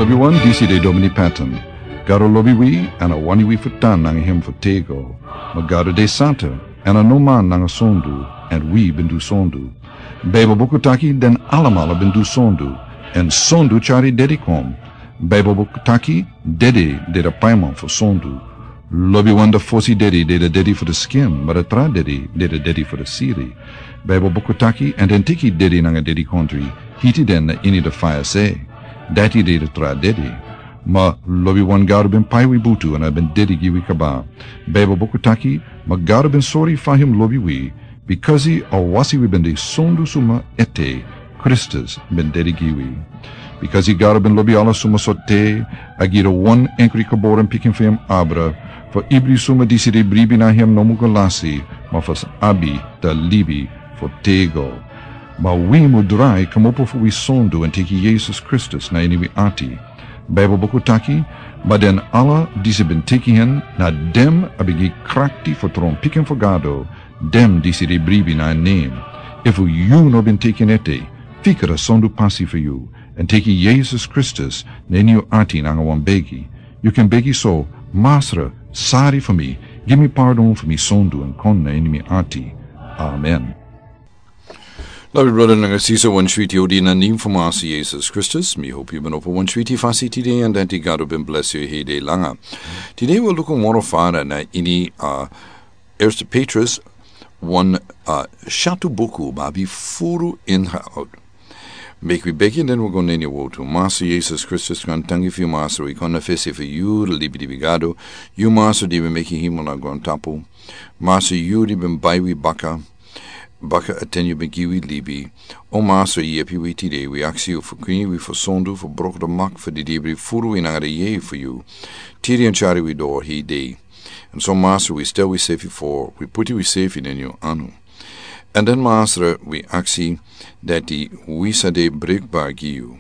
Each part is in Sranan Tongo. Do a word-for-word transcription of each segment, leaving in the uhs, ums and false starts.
Wi wan disi de Domini Patton. Gado lobi wi, èn a wani wi fu tan nanga hem fu tego. Ma Gado de santa, èn a no man nanga sondu, èn wi ben du sondu. Baibel buku taki den alamala ben du sondu, èn sondu tyari dedi kon. Baibel buku taki dedi de de paiman fu sondu. Lobi wan de fosi dedi de de dedi fu de skin, ma de tra dedi de de dedi fu de siri. Baibel buku taki, èn den tiki dedi nanga dedi kontri, hiti den na ini de faya se. Dati de de tra dedi. Ma lobi wan Gado ben pai wi butu èn a ben dedi gi wi kaba. Baibel buku taki, ma Gado ben sori fa hem lobi wi, bikasi a wasi wi ben de sondu suma ete, Kristus ben dedi gi wi. Bikasi Gado ben lobi ala suma so te, a gi de wan enkri kaboren pikin fu hem abra, fu ibri suma disi de bribi na hem no mu go lasi, ma fu abi de libi fu tego. Ma wi mu drai kmopo fu wi sondu èn teki Yesus Kristus na ini wi ati. Baibel buku taki, ma den ala disi ben teki hen, na dem a ben gi krakti fu tron pikin fu Gado, dem disi de bribi na en nen. Efu yu no ben teki en ete, fika de sondu pasi fu yu, èn teki Yesus Kristus na ini yu ati nanga wan begi. Yu kan begi so, Masra, sari fu mi, gi mi pardon fu mi sondu èn kon na ini mi ati. Amen. Lobi brada nanga sisa, wan switi odi na nen fu Masra Yesus Kristus. Mi hopi yu ben opo wan switi fasi tide èn dati Gado ben bless yu hede langa. Tide wi luku moro fara na ini a Eerste Petrus wan, a, shatu buku, ma abi furu inhoud. Meki wi begi den wi go na ini wotu. Masra Yesus Kristus, grantangi fu yu Masra, wi kon na fesi fu yu, de libi di wi Gado. Yu Masra di ben meki hemel nanga grontapu. Masra yu di ben bai wi baka. Baka a ten yu ben gi wi libi. O Masra, yepi wi tide, wi aksi yu fu kwini wi fu sondu, fu broko de mak fu di dibri furu wi nanga de yeye fu yu. Tiri èn tyari wi doro hede. Èn so Masra, wi stel wi sefi fo, wi puti wi sefi na ini yu anu. Èn den Masra, wi aksi dati wi sa de brikbar gi yu.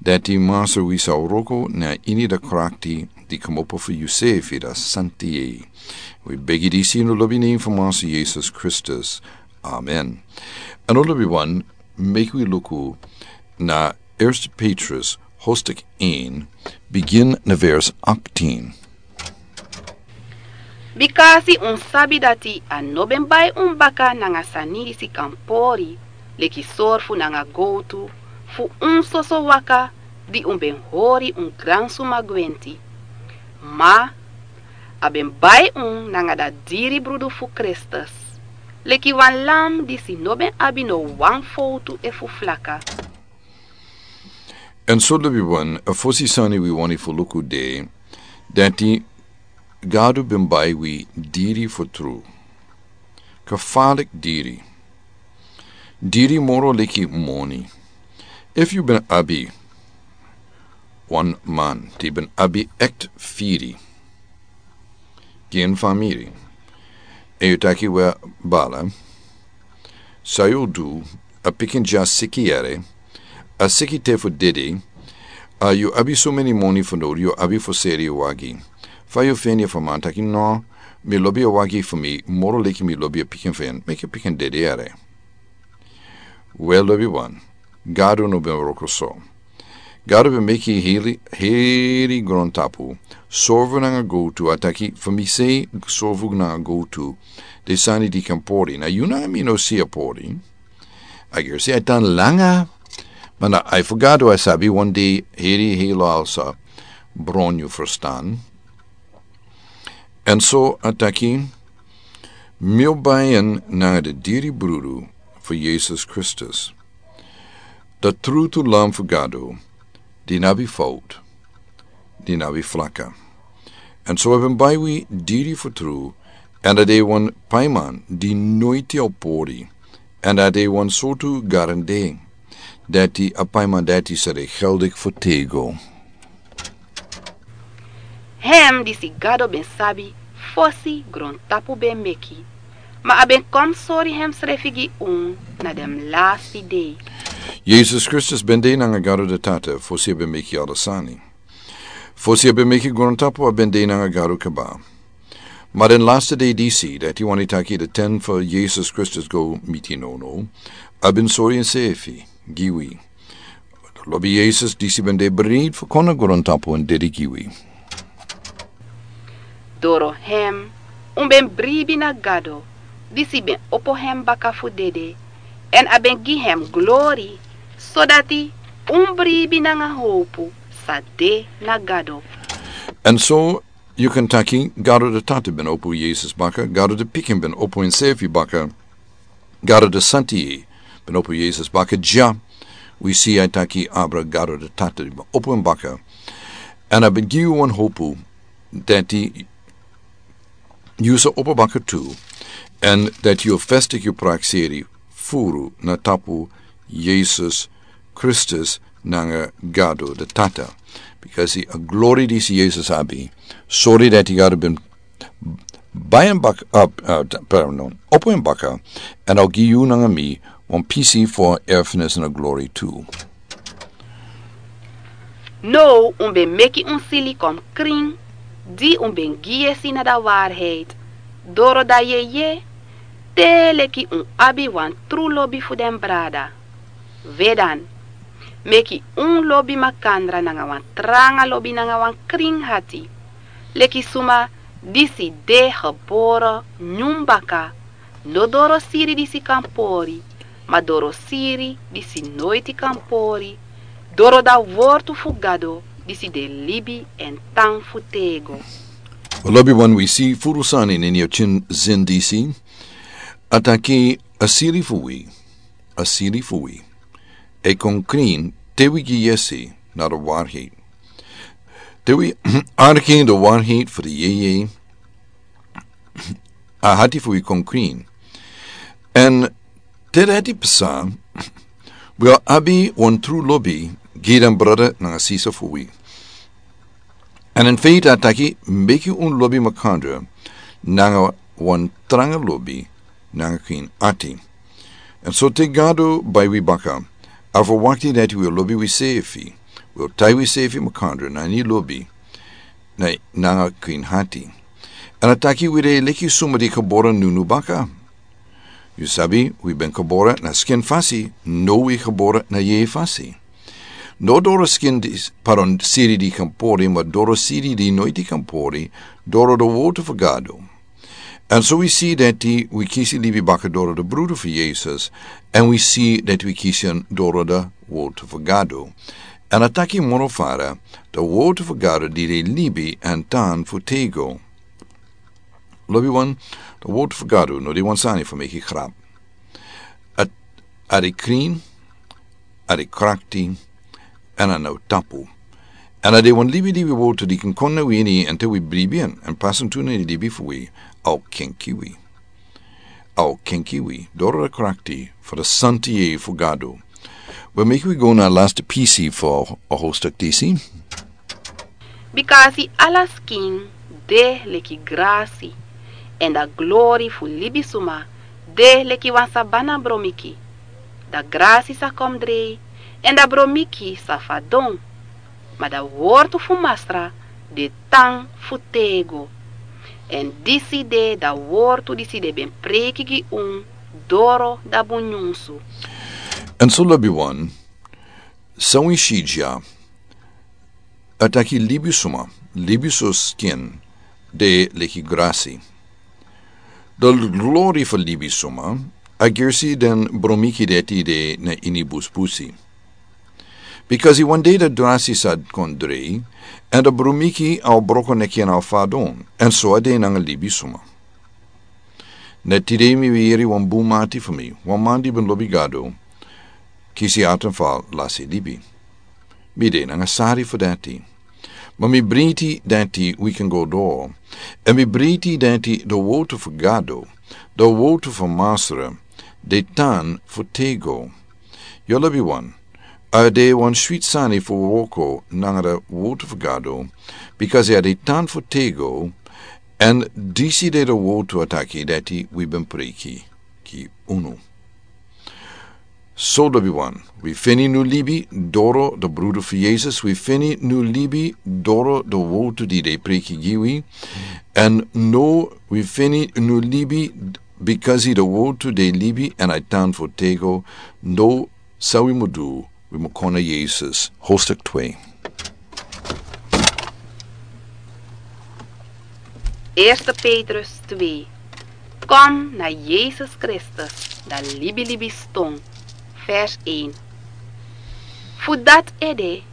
Dati Masra, wi sa wroko na ini de krakti di kmopo fu yu sefi, de santi yeye. Wi begi disi ini lobi nen fu Masra Yesus Kristus. Amen. Èn lobi wan, meki wi luku na Eerste Petrus hoofdstuk één, begin na vers achttien. Bikasi un sabi dati a no ben bai un baka nanga sani disi kan pori, leki sorfu nanga gowtu, fu un soso waka di un ben hori un gransuma gwenti. Ma a ben bai un nanga da diri brudu fu Kristus, leki wan lam disi no ben abi no wan fowtu efu flaka. Èn so lobi wan, a fosi sani wi wani fu luku de, dati Gado ben bai wi diri fu tru. Kafalik diri. Diri moro leki moni. Efu yu ben abi wan man di ben abi ekti firi gi en famiri, èn yu taki: "We bala, san yu o du? A pikin dya siki yere, a siki te fu dede, a yu abi so meni moni fu doro, yu abi fu seri yu wagi." Fa yu feni fu a man taki: "No, mi lobi a wagi fu mi moro leki mi lobi a pikin fu en, meki a pikin dede yere." We lobi wan, Gado no ben wroko so. Gado ben meki heri, heri grontapu, sorfu nanga gowtu, a taki: "Fu mi sei sorfu nanga gowtu de sani di kan pori. Na yu nanga mi no si a pori." A gersi a tan langa, ma na ai fu Gado a sabi wan dei heri heri al sa bron yu ferstan. Èn so a taki: "Mi o bai en nanga de diri brudu fu Yesus Kristus, de trutu lam fu Gado, di no abi fout, di no abi flaka." Èn so a ben bai wi diri fu tru, èn a de wan paiman di noiti o pori, èn a de wan sortu garande, dati a paiman dati sa de geldik fu tego. Hem disi Gado ben sabi fosi grontapu ben meki, ma a ben kon sori hemsrefi gi unu na den lasti dei. Yesus Kristus ben de nanga Gado de Tata fosi a ben meki ala sani. Fosi a ben meki grontapu a ben de nanga Gado kaba. Ma den lasti dei disi, dati wani taki de ten fu Yesus Kristus go miti nono, a ben sori ensefi gi wi. Lobi Yesus disi ben de breid fu kon na grontapu èn dede gi wi. Doro hem un ben bribi na Gado, disi ben opo hem baka fu dede, èn a ben gi hem glori, sodati un bribi nanga howpu sa de na Gado. Èn so yu kan taki Gado de Tata ben opo Yesus baka, Gado de Pikin ben opo ensefi baka, Gado de Santi ben opo Yesus baka dya. Wi si a taki abra Gado de Tata ben opo en baka. Èn a ben gi yu wan howpu dati yu sa opo baka tu, èn dati yu festik yu prakseri furu na tapu Yesus Kristus nanga Gado de Tata. Bikasi a glori disi Yesus abi, sori dati Gado ben bai en baka, uh, uh, pardon, opo en baka, èn a o gi yu nanga mi wan pisi fu erfenis na glori tu. Now un ben meki un sili kon krin, di un ben gi yesi na da waarheid, doro da yeye, te leki un abi wan tru lobi fu den brada. Wedan, meki un lobi makandra nanga wan tranga lobi nanga wan krin hati, leki suma disi de gebore nyun baka, no doro siri disi kan pori, ma doro siri disi noiti kan pori, doro da wortu fu Gado disi de libi èn tan fu tego. Lobi wan, wi si furu sani na ini a tin zin disi. A taki a siri fu wi, a siri fu wi e kon krin te wi gi yesi na da waarheid. Te wi arki da waarheid fu di yeye, a hati fu wi kon krin. Èn te dati psa, wi o abi wan tru lobi gi den brada nanga sisa fu wi. Èn in feite a taki meki un lobi makandra nanga wan tranga lobi nanga krin ati. Èn so te Gado bai wi baka, a ferwakti dati wi o lobi wisefi, wi o tai wisefi makandra na ini lobi, na, nanga krin hati. Èn a taki wi de leki suma di gebore nunu baka. Yu sabi, wi ben gebore na skin fasi, now wi gebore na yeye fasi. No doro skin di, pardon, siri di kan pori, ma doro siri di noiti kan pori, doro da wortu fu Gado. Èn so wi si dati wi kisi libi baka doro da brudu fu Yesus, èn wi si dati wi kisi en doro da wortu fu Gado. Èn a taki moro fara, da wortu fu Gado di de libi èn tan fu tego. Lobi wan, da wortu fu Gado no de wan sani fu meki grap. A, a de krin, a de krakti, èn a no tapu. Èn a de wan libi di wi wortu di kan kon na wi ini, èn te wi bribi en, èn pasa tu na ini libi fu wi, a o kenki wi. A o kenki wi, doro da krakti, fu da santi yeye fu Gado. Wi meki wi go na lasti pisi fu a hoofdstuk disi. Bikasi ala skin de leki grasi, èn da glori fu libisuma de leki wan sabana bromiki. Da grasi sa kon drei, èn da bromiki sa fadon. Ma da wortu fu Masra de tan fu tego. Èn disi de da wortu disi den ben preiki gi un doro da bun nyunsu. Èn so lobi wan, san wi si dya, a taki libisuma, libi so skin de leki grasi. Da glori fu libisuma a gersi den bromiki dati de na ini busbusi. Bikasi wan dei da grasi sa kon drei, èn da bromiki a o broko neki èn a o fadon, èn so a de nanga libisuma. Na tide mi ben yere wan bun mati fu mi, wan man di ben lobi Gado, kisi atenfal lasi libi. Mi de nanga sari fu dati. Ma mi breiti dati wi kan go doro. Èn mi breiti dati da wortu fu Gado, da wortu fu Masra, de tan fu tego. Yu lobi wan, a de wan switi sani fu wroko nanga da wortu fu Gado, bikasi a de tan fu tego, èn disi de da wortu a taki dati wi ben preiki gi unu. So lobi wan, wi feni nu libi doro da brudu fu Yesus, wi feni nu libi doro da wortu di den preiki gi wi, èn no wi feni nu libi bikasi da wortu de libi èn a tan fu tego, no san wi mu du Wi mu kon na Yesus, hoofdstuk twee. Eerste Petrus twee. Kom na Yesus Kristus, dan libilibi ston. Vers een. Fu dati ede,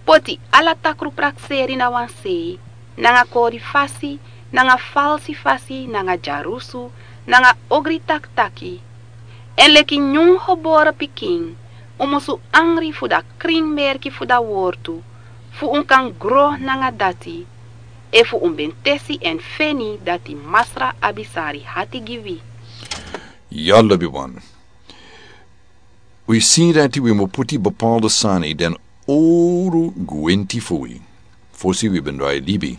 poti ala takru prakseri na wan sei, nanga kori fasi, nanga falsi fasi, nanga dyarusu, nanga ogri taktaki. Èn leki nyun gebore pikin, un musu angri fu da krin merki fu da wortu, fu un kan gro nanga dati, efu un ben tesi èn feni dati Masra abi sari hati gi wi. Ya lobiwan. Wi si dati wi mu puti bepaalde sani den owru gwenti fu wi. Fosi wi ben drai libi.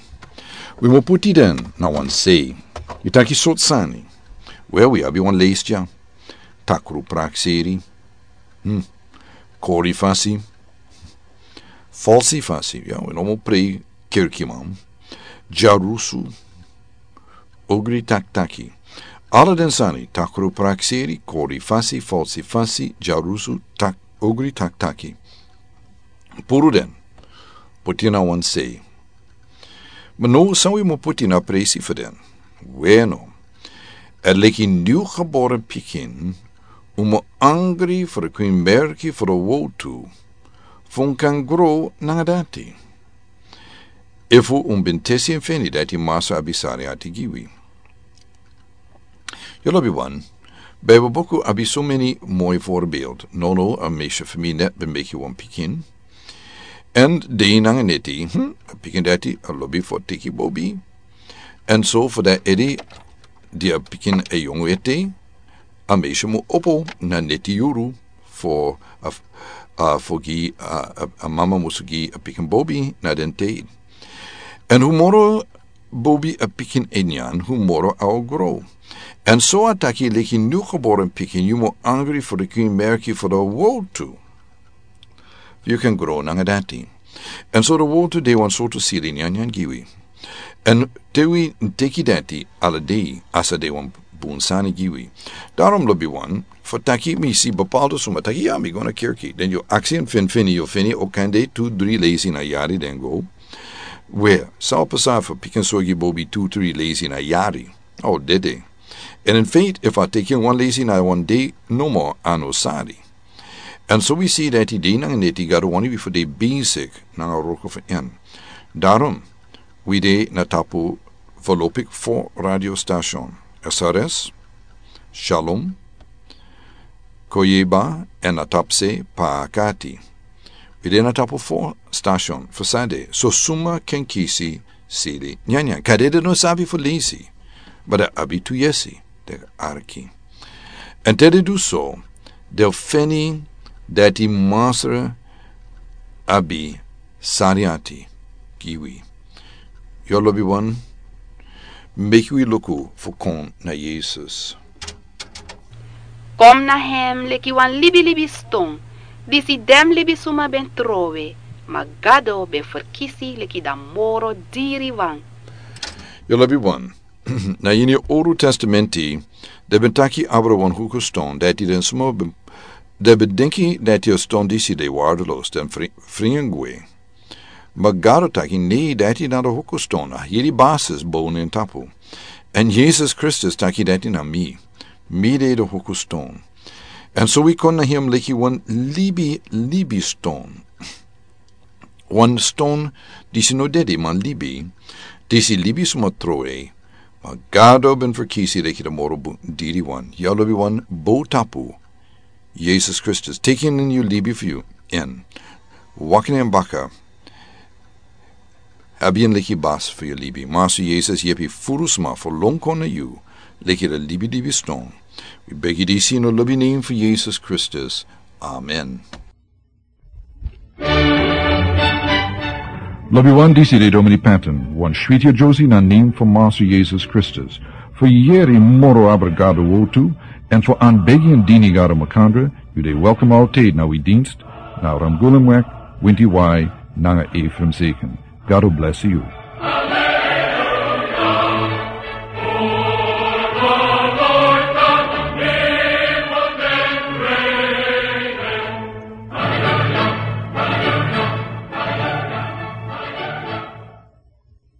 Wi mu puti den na wan sei. Yu taki sortu sani. Wel, wi abi wan leisi dya. Takru prakseri. Hmm. Kori fasi. Falsi fasi. Ya, wi no mu prei kerkiman. Dyarusu. Ogri taktaki. Ala den sani, takru prakseri, kori fasi, falsi fasi, dyarusu, tak, ogri taktaki. Puru den, poti na wan sei. Ma now san wi mu poti na presi fu den. Weno, èn leki nyun gebore pikin, un mu angri fu da krin merki fu da wortu, fu un kan gro nanga dati. Efu un ben tesi èn feni dati Masra abi sari hati gi wi. Ya lobiwan, Bijbelboek abi so meni moi voorbeeld. Nono, a meisje fu mi net ben meki wan pikin. Èn dei nanga neti, hmm, a pikin dati a lobi fu teki bobi. Èn so fu da ede di a pikin a yongu ete, a meisje mu opo na neti yuru fu a, a, fu gi a, a, a mama musu gi a pikin bobi na den tei. Èn hu moro bobi a pikin e nyan, hu moro a o gro. Èn so a taki leki nyun gebore pikin, yu mu angri fu da krin merki fu da wortu. Fu yu kan gro nanga dati. Èn so da wortu de wan sortu siri nyanyan gi wi. Èn te wi teki dati ala dei, a sa de wan bun sani gi wi. Daarom lobiwan, fu taki mi si bepaalde suma taki ya mi go na kerki. Den yu aksi èn feni, yu feni o kan de tu dri leisi na yari den go. We, san o pasa fu pikin sorgi bobi tu dri leisi na yari. O dede. Èn in feite, efu a teki wan leisi na wan dei, nomo a no sari. Èn so wi si dati dei nanga neti Gado wani wi fu de basic nanga wroko fu en. Daarom, wi de na tapu voorlopig fo radio station. S R S, Shalom, Koyeba, èn na tapu se Pakati. Wi de na tapu fo station fu sade, so suma kan kisi siri nyanyan. Kande den no sabi fu leisi, ma den abi tu yesi, den arki. Èn te den du so, den feni dati Masra abi sari hati gi wi. Ya lobiwan, meki wi luku fu kon na Yesus. Kom na hem leki wan libilibi ston, disi den libisuma ben trowe, ma Gado ben ferkisi leki da moro diri wan. Ya lobiwan, na ini Owru Testamenti, den ben taki abra wan huku ston, dati den suma ben, den ben denki dati a ston disi de waardeloos, den fri-, fringi gwe. Ma Gado taki nei, dati na da huku ston, a hiri basis bow na en tapu. Èn Yesus Kristus taki dati na mi. Mi de da huku ston. Èn so wi kon na hem leki wan libi, libi ston. Wan ston disi no dede ma libi, disi libisuma trowe, ma Gado ben ferkisi leki da moro bun diri wan. Ya lobiwan, bow tapu Yesus Kristus. Teki en ini yu libi fu yu. Èn waka na en baka. Abi en leki basi fu yu libi. Masra Yesus yepi furu sma fu lon kon na yu leki da libilibi ston. Wi begi disi ini a lobi nen fu Yesus Kristus. Amen. Lobiwan, disi de Domini Patton, wan switi yere na nen fu Masra Yesus Kristus. Fu yere moro abra Gado wortu, èn fu anbegi èn dini Gado makandra, yu de welkom altijd na wi dienst, na Ramgulemweg, Winti Wai, nanga Ephraim Zeken. Gado bless yu.